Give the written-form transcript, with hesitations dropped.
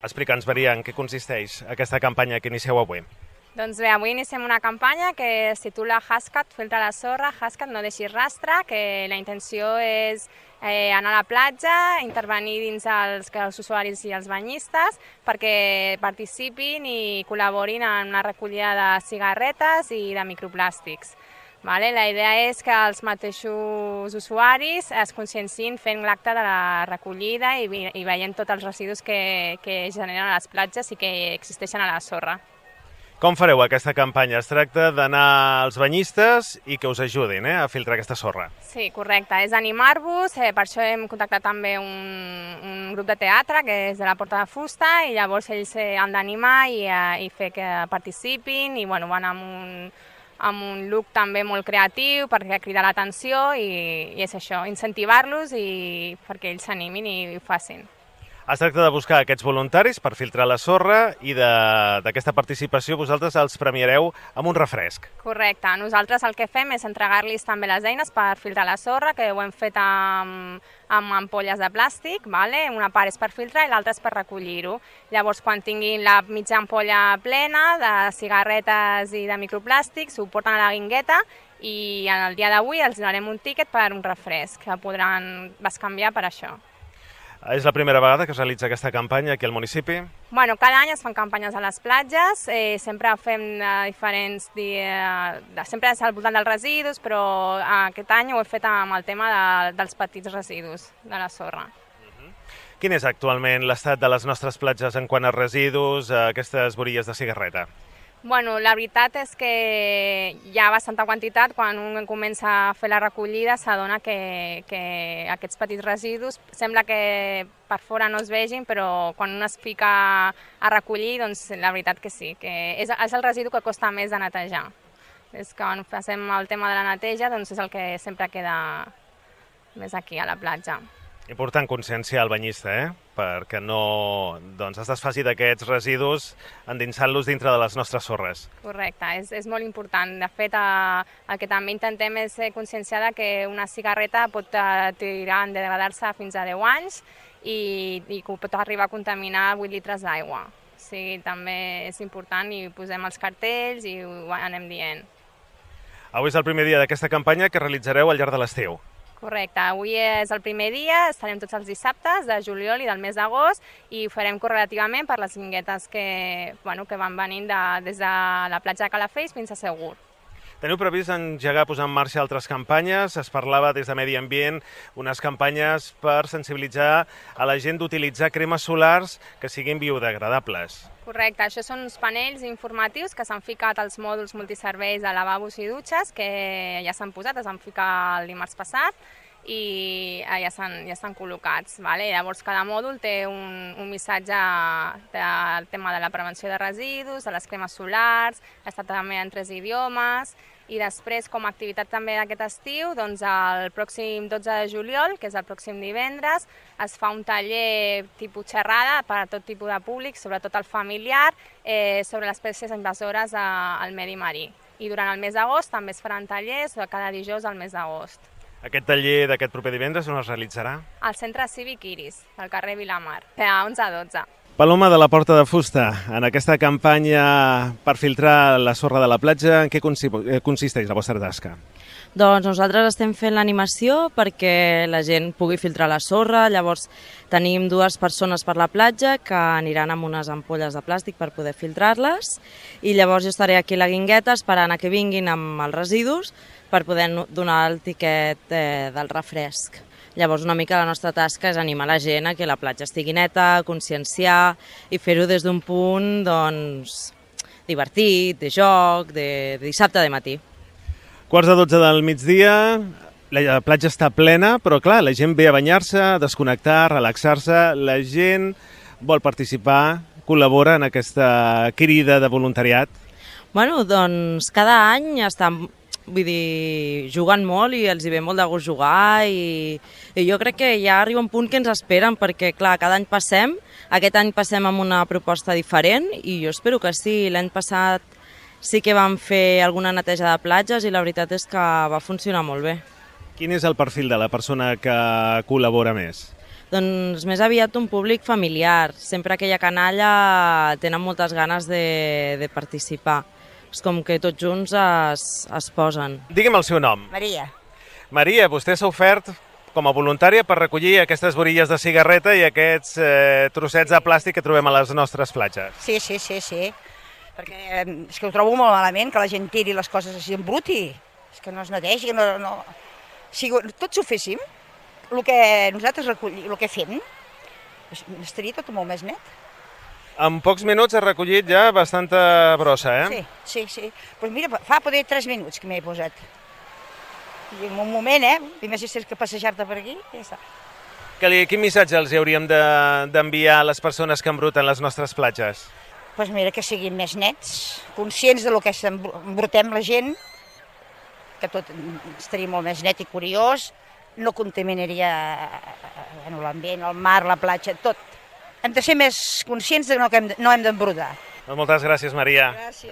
Explica'ns, Maria, en què consisteix aquesta campanya que inicieu avui. Doncs bé, avui iniciem una campanya que es titula Hascat, filtra la sorra, Hascat, no deixis rastre, que la intenció és anar a la platja, intervenir dins els usuaris i els banyistes perquè participin i col·laborin en la recollida de cigarretes i de microplàstics. La idea és que els mateixos usuaris es consciencin fent l'acte de la recollida i veient tots els residus que generen a les platges i que existeixen a la sorra. Com fareu aquesta campanya? Es tracta d'anar als banyistes i que us ajudin a filtrar aquesta sorra. Sí, correcte. És animar-vos, per això hem contactat també un grup de teatre que és de la Porta de Fusta i llavors ells han d'animar i fer que participin i van amb un look també molt creatiu perquè cridar l'atenció i és això, incentivar-los i perquè ells s'animin i ho facin. Es tracta de buscar aquests voluntaris per filtrar la sorra i d'aquesta participació vosaltres els premiareu amb un refresc. Correcte. Nosaltres el que fem és entregar-los també les eines per filtrar la sorra, que ho hem fet amb ampolles de plàstic, una part és per filtrar i l'altra és per recollir-ho. Llavors, quan tinguin la mitja ampolla plena de cigarretes i de microplàstics, ho porten a la guingueta i el dia d'avui els donarem un tíquet per un refresc, que podran bescanviar per això. És la primera vegada que es realitza aquesta campanya aquí al municipi? Cada any es fan campanyes a les platges, sempre fem sempre és al voltant dels residus, però aquest any ho he fet amb el tema dels petits residus de la sorra. Quin és actualment l'estat de les nostres platges en quant a residus, aquestes borilles de cigarreta? La veritat és que hi ha bastanta quantitat. Quan un comença a fer la recollida s'adona que aquests petits residus sembla que per fora no es vegin, però quan un es fica a recollir, doncs la veritat que sí, que és el residu que costa més de netejar. És que quan fem el tema de la neteja, doncs és el que sempre queda més aquí a la platja. Important conscienciar el banyista, perquè no es desfaci d'aquests residus endinsant-los dintre de les nostres sorres. Correcte, és molt important. De fet, el que també intentem és conscienciar que una cigarreta pot tirar en degradar-se fins a 10 anys i pot arribar a contaminar 8 litres d'aigua. O sigui, també és important i posem els cartells i ho anem dient. Avui és el primer dia d'aquesta campanya que realitzareu al llarg de l'estiu. Correcte, avui és el primer dia, estarem tots els dissabtes de juliol i del mes d'agost i ho farem correlativament per les guinguetes que van venint des de la platja de Calafell fins a Segur. Teniu previst engegar, posar en marxa altres campanyes? Es parlava des de Medi Ambient unes campanyes per sensibilitzar a la gent d'utilitzar cremes solars que siguin biodegradables. Correcte, això són uns panells informatius que s'han ficat als mòduls multiserveis de lavabos i dutxes, que ja s'han posat, es van ficar el dimarts passat i ja estan col·locats. Llavors cada mòdul té un missatge del tema de la prevenció de residus, de les cremes solars, està també en 3 idiomes i després com a activitat també d'aquest estiu, doncs el pròxim 12 de juliol, que és el pròxim divendres, es fa un taller tipus xerrada per a tot tipus de públic, sobretot el familiar, sobre les espècies invasores al medi marí. I durant el mes d'agost també es faran tallers cada dijous al mes d'agost. Aquest taller d'aquest proper divendres on es realitzarà? Al Centre Cívic Iris, al carrer Vilamar, a 11 a 12. Paloma de la Porta de Fusta, en aquesta campanya per filtrar la sorra de la platja, en què consisteix la vostra tasca? Doncs nosaltres estem fent l'animació perquè la gent pugui filtrar la sorra, llavors tenim 2 persones per la platja que aniran amb unes ampolles de plàstic per poder filtrar-les i llavors jo estaré aquí a la guingueta esperant a que vinguin amb els residus per poder donar el tiquet del refresc. Llavors una mica la nostra tasca és animar la gent a que la platja estigui neta, conscienciar i fer-ho des d'un punt divertit, de joc, de dissabte de matí. 11:45 del migdia, la platja està plena, però clar, la gent ve a banyar-se, a desconnectar, a relaxar-se, la gent vol participar, col·labora en aquesta crida de voluntariat. Doncs cada any estan jugant molt i els hi ve molt de gust jugar i jo crec que ja arriba un punt que ens esperen perquè, clar, cada any passem, aquest any passem amb una proposta diferent i jo espero que sí. L'any passat sí que vam fer alguna neteja de platges i la veritat és que va funcionar molt bé. Quin és el perfil de la persona que col·labora més? Doncs més aviat un públic familiar. Sempre aquella canalla tenen moltes ganes de participar. És com que tots junts es posen. Digui'm el seu nom. Maria. Maria, vostè s'ha ofert com a voluntària per recollir aquestes borilles de cigarreta i aquests trossets de plàstic que trobem a les nostres platges. Sí. Perquè és que ho trobo molt malament, que la gent tiri les coses així en bruti. És que no es netegi, no... Si tots ho féssim, el que nosaltres recollim, el que fem, estaria tot molt més net. En pocs minuts has recollit ja bastanta brossa, eh? Sí. Pues mira, fa poder 3 minuts que m'he posat. I en un moment, primer si tens que passejar-te per aquí, ja està. Quin missatge els hauríem d'enviar a les persones que embruten les nostres platges? Pues mira, que siguin més nets, conscients de lo que embrutem la gent, que tot estaria molt més net i curiós, no contaminaria l'ambient, el mar, la platja, tot. Hem de ser més conscients de que no hem d'embrutar. Moltes gràcies, Maria. Gràcies.